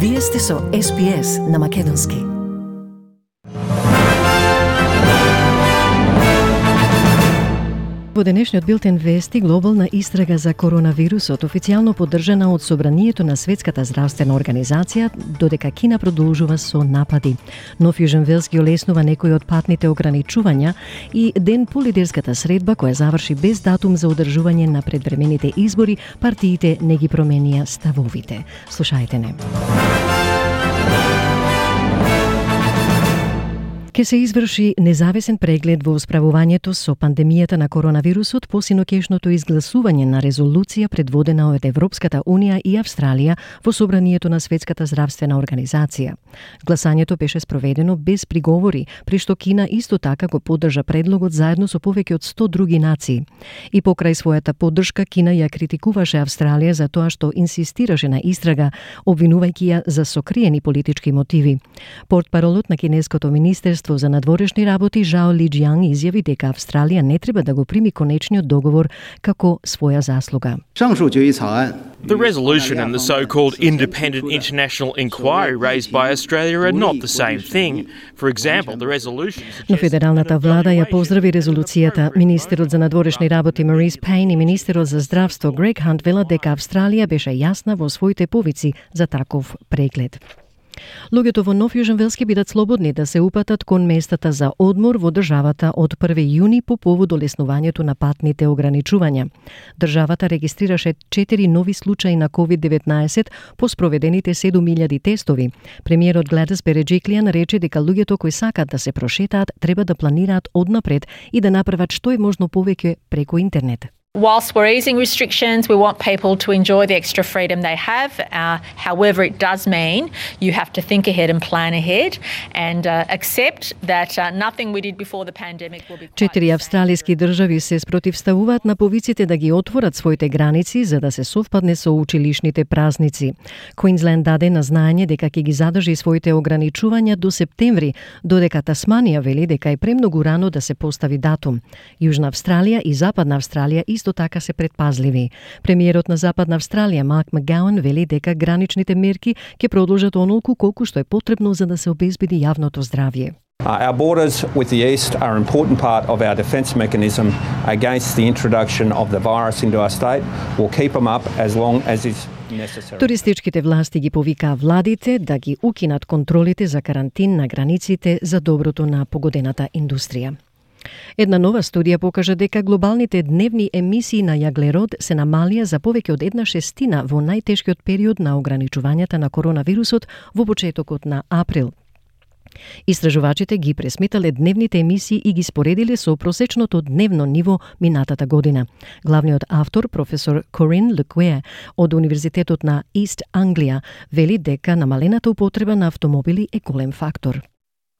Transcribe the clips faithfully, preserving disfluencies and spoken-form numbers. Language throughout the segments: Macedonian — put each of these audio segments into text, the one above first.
Вие сте со Ес Би Ес на Македонски. Во денешниот билтен вести, глобална истрага за коронавирусот официјално поддржана од Собранието на Светската здравствена организација, додека Кина продолжува со напади. Нов Јужен Велс ги олеснува некои од патните ограничувања и ден по лидерската средба која заврши без датум за одржување на предвремените избори, партиите не ги променија ставовите. Слушајте не. Ке се изврши независен преглед во справувањето со пандемијата на коронавирусот по синокешното изгласување на резолуција предводена од Европската Унија и Австралија во Собранието на Светската здравствена организација. Гласањето беше спроведено без приговори, при што Кина исто така го поддржа предлогот заедно со повеќе од сто други нации. И покрај својата поддршка, Кина ја критикуваше Австралија за тоа што инсистираше на истрага, обвинувајќи ја за сокриени политички мотиви. Портпаролот на кинеското министерство за надворешни работи Жао Лиџијанг изјави дека Австралија не треба да го прими конечниот договор како своја заслуга. The resolution and the so-called independent international inquiry raised by Australia are not the same thing. For example, the resolution... Но федералната влада ја поздрави резолуцијата. Министерот за надворешни работи Марис Пейн и министерот за здравство Грег Хант велат дека Австралија беше јасна во своите повици за таков преглед. Луѓето во Нов Јужен Велс ќе бидат слободни да се упатат кон местата за одмор во државата од први јуни по повод олеснувањето на патните ограничувања. Државата регистрираше четири нови случаи на ковид деветнаесет по спроведените седум илјади тестови. Премиерот Гледис Береџиклијан рече дека луѓето кои сакат да се прошетаат треба да планираат однапред и да направат што е можно повеќе преку интернет. Whilst we're easing restrictions, we want people to enjoy the extra freedom they have. Uh, however, it does mean you have to think ahead and plan ahead and uh, accept that uh, nothing we did before the pandemic will be quite Четири австралиски држави се спротивставуваат на повиците да ги отворат своите граници за да се совпадне со училишните празници. Квинсленд даде на знаење дека ќе ги задржи своите ограничувања до септември, додека Тасманија вели дека е премногу рано да се постави датум. Јужна Австралија и Западна Австралија исто така се предпазливи. Премиерот на Западна Австралија Марк Макгауан вели дека граничните мерки ќе продолжат онолку колку што е потребно за да се обезбеди јавното здравје. Uh, our borders with the east are an important part of our defence mechanism against the introduction of the virus into our state. We'll keep them up as long as is necessary. Туристичките власти ги повикаа владите да ги укинат контролите за карантин на границите за доброто на погодената индустрија. Една нова студија покажа дека глобалните дневни емисии на јаглерод се намалија за повеќе од една шестина во најтешкиот период на ограничувањата на коронавирусот во почетокот на април. Истражувачите ги пресметале дневните емисии и ги споредиле со просечното дневно ниво минатата година. Главниот автор, професор Корин Лекуе од Универзитетот на Ист Англија, вели дека намалената употреба на автомобили е голем фактор.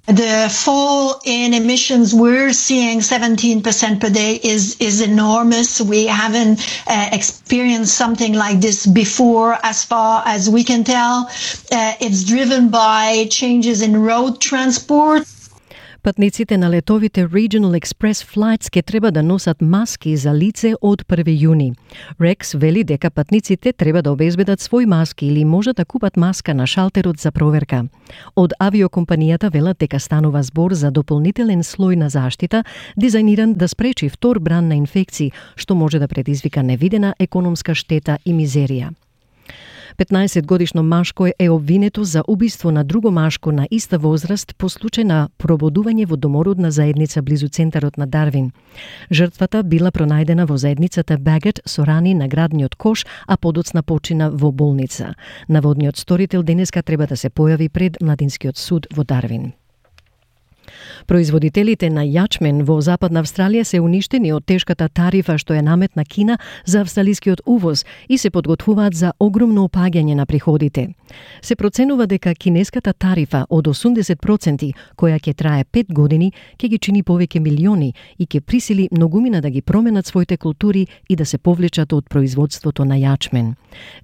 The fall in emissions we're seeing seventeen percent per day is is enormous. We haven't uh, experienced something like this before as far as we can tell. Uh, it's driven by changes in road transport. Патниците на летовите Regional Express Flights ке треба да носат маски за лице од први јуни. Рекс вели дека патниците треба да обезбедат свој маски или може да купат маска на шалтерот за проверка. Од авиокомпанијата велат дека станува збор за дополнителен слој на заштита, дизајниран да спречи втор бран на инфекции, што може да предизвика невидена економска штета и мизерија. петнаесет годишно машко е обвинето за убиство на друго машко на иста возраст по случај на прободување во домородна заедница близу центарот на Дарвин. Жртвата била пронајдена во заедницата Багет со рани на градниот кош, а подоцна почина во болница. Наводниот сторител денеска треба да се појави пред младинскиот суд во Дарвин. Производителите на јачмен во Западна Австралија се уништени од тешката тарифа што ја наметна Кина за австралискиот увоз и се подготвуваат за огромно опаѓање на приходите. Се проценува дека кинеската тарифа од осумдесет проценти, која ќе трае пет години, ќе ги чини повеќе милиони и ќе присили многумина да ги променат своите култури и да се повлечат од производството на јачмен.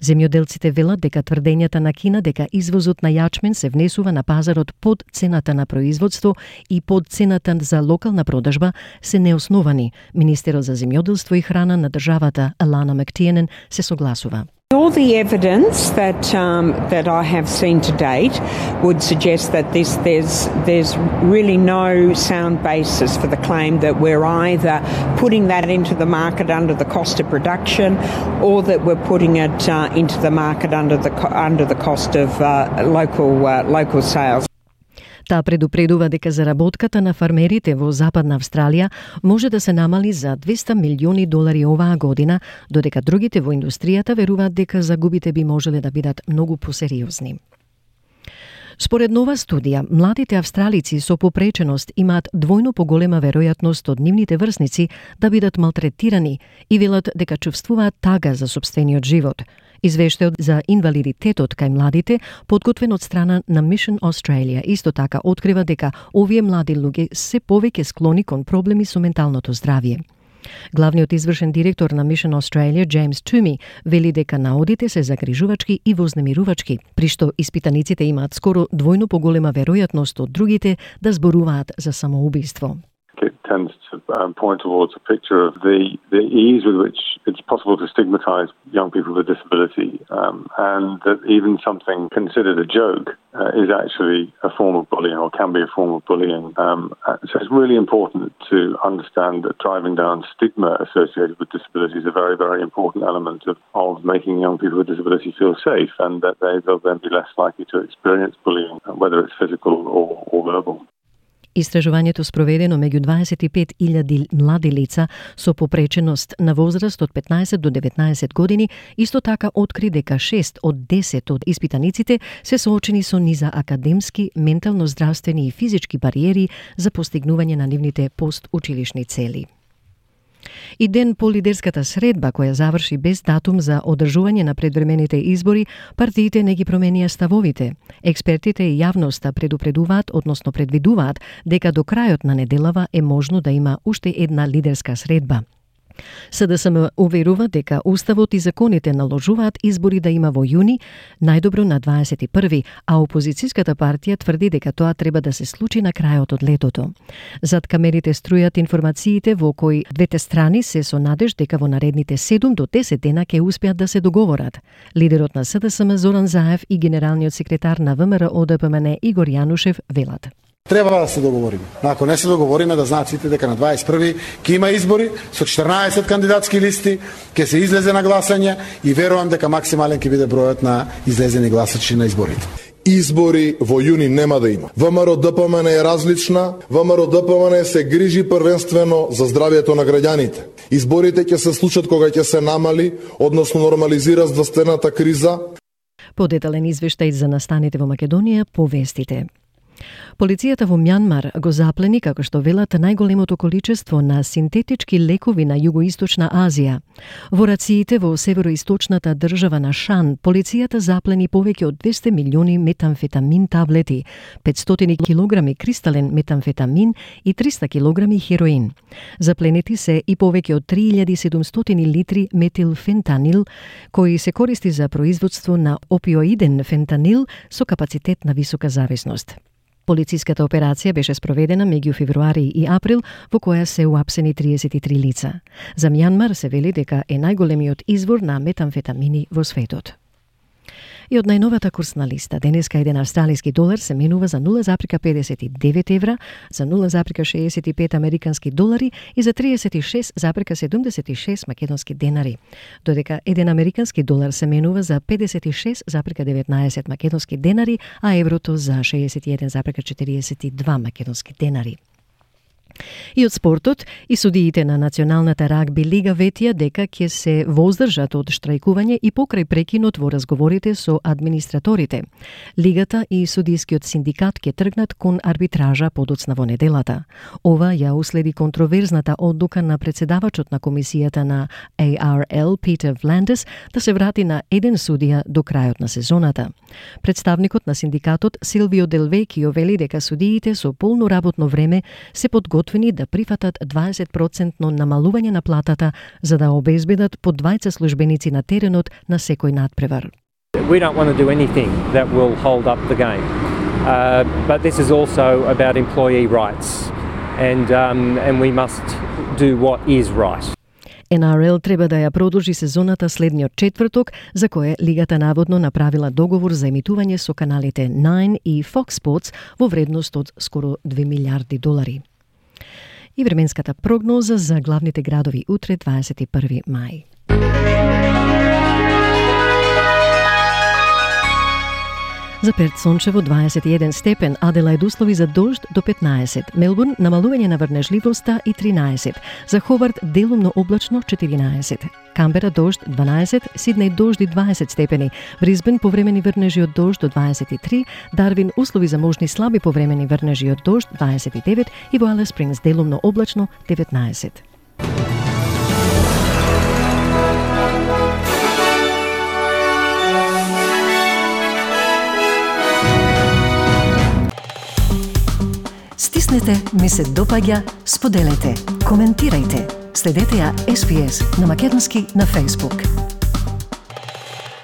Земјоделците велат дека тврдењата на Кина дека извозот на јачмен се внесува на пазарот под цената на производство и под цената за локална продажба се неосновани. Министерот за земјоделство и храна на државата Алана Мактиенен се согласува. All the evidence that um, that I have seen to date would suggest that this there's there's really no sound basis for the claim that we're either putting that into the market under the cost of production, or that we're putting it uh, into the market under the under the cost of uh, local uh, local sales. Таа предупредува дека заработката на фармерите во Западна Австралија може да се намали за двесте милиони долари оваа година, додека другите во индустријата веруваат дека загубите би можеле да бидат многу посериозни. Според нова студија, младите австралици со попреченост имаат двојно поголема веројатност од нивните врсници да бидат малтретирани и велат дека чувствуваат тага за сопствениот живот. Извештајот за инвалидитетот кај младите, подготвен од страна на Mission Australia, исто така открива дека овие млади луѓе се повеќе склони кон проблеми со менталното здравје. Главниот извршен директор на Mission Australia, Джеймс Туми, вели дека наодите се загрижувачки и вознемирувачки, при што испитаниците имаат скоро двојно поголема веројатност од другите да зборуваат за самоубиство. It tends to um, point towards a picture of the, the ease with which it's possible to stigmatise young people with disability, um, and that even something considered a joke uh, is actually a form of bullying, or can be a form of bullying. Um, so it's really important to understand that driving down stigma associated with disability is a very, very important element of, of making young people with disability feel safe, and that they will then be less likely to experience bullying, whether it's physical or, or verbal. Истражувањето спроведено меѓу дваесет и пет илјади млади лица со попреченост на возраст од петнаесет до деветнаесет години исто така откри дека шест од десет од испитаниците се соочени со низа академски, ментално здравствени и физички бариери за постигнување на нивните постучилишни цели. И ден по лидерската средба, која заврши без датум за одржување на предвремените избори, партиите не ги променија ставовите. Експертите и јавноста предупредуваат, односно предвидуваат, дека до крајот на неделава е можно да има уште една лидерска средба. СДСМ уверува дека Уставот и законите наложуваат избори да има во јуни, најдобро на дваесет и први, а опозицијската партија тврди дека тоа треба да се случи на крајот од летото. Зад камерите струјат информациите во кои двете страни се со надеж дека во наредните седум до десет дена ќе успеат да се договорат. Лидерот на СДСМ Зоран Заев и генералниот секретар на ВМРО О Д П М Н Игор Јанушев велат: Треба да се договориме. Ако не се договориме, да знаат сите дека на дваесет и први ќе има избори со четрнаесет кандидатски листи, ќе се излезе на гласање и верувам дека максимален ќе биде бројот на излезени гласачи на изборите. Избори во јуни нема да има. ВМРО Д П М Н е различна. ВМРО Д П М Н се грижи првенствено за здравјето на граѓаните. Изборите ќе се случат кога ќе се намали, односно нормализира здравствената криза. Подетален извештај за настаните во Македонија по вестите. Полицијата во Мјанмар го заплени, како што велат, најголемото количество на синтетички лекови на Југоисточна Азија. Во рациите во североисточната држава на Шан, полицијата заплени повеќе од двесте милиони метамфетамин таблети, петстотини килограми кристален метамфетамин и триста килограми хероин. Запленети се и повеќе од три илјади и седумстотини литри метилфентанил, кои се користи за производство на опиоиден фентанил со капацитет на висока зависност. Полициската операција беше спроведена меѓу февруари и април, во која се уапсени триесет и три лица. За Мјанмар се вели дека е најголемиот извор на метамфетамини во светот. И од најновата курсна листа, денеска еден австралиски долар се менува за нула запирка педесет и девет евра, за нула запирка шеесет и пет американски долари и за триесет и шест запирка седумдесет и шест македонски денари, додека еден американски долар се менува за педесет и шест запирка деветнаесет македонски денари, а еврото за шеесет и еден запирка четириесет и два македонски денари. И од спортот, и судиите на Националната рагби лига ветија дека ќе се воздржат од штрајкување и покрај прекинот во разговорите со администраторите. Лигата и судискиот синдикат ќе тргнат кон арбитража подоцна во неделата. Ова ја уследи контроверзната одлука на председавачот на комисијата на А Р Л Питер Вландес да се врати на еден судија до крајот на сезоната. Представникот на синдикатот Силвио Делвекио вели дека судиите со полно работно време се подготвени да прифатат дваесет проценти намалување на платата за да обезбедат по двајца службеници на теренот на секој надпревар. We don't want to do anything that will hold up the game. Uh, but this is also about employee rights and um, and we must do what is right. Ен Ар Ел треба да ја продолжи сезоната следниот четврток, за кое лигата наводно направила договор за емитување со каналите Nine и Fox Sports во вредност од скоро две милиарди долари. И временската прогноза за главните градови утре, дваесет и први мај. За Перт сончево дваесет и еден степен, Аделаид услови за дожд до петнаесет, Мелбурн намалување на врнежливоста и тринаесет, за Ховард делумно облачно четиринаесет, Камбера дожд дванаесет, Сиднеј дожд и дваесет степени, Брисбен повремени врнежи од дожд до дваесет и три, Дарвин услови за можни слаби повремени врнежи од дожд дваесет и девет и во Алис Спрингс делумно облачно деветнаесет. Стиснете, ми се допаѓа, споделете, коментирајте. Следете ја Ес Би Ес на македонски на Facebook.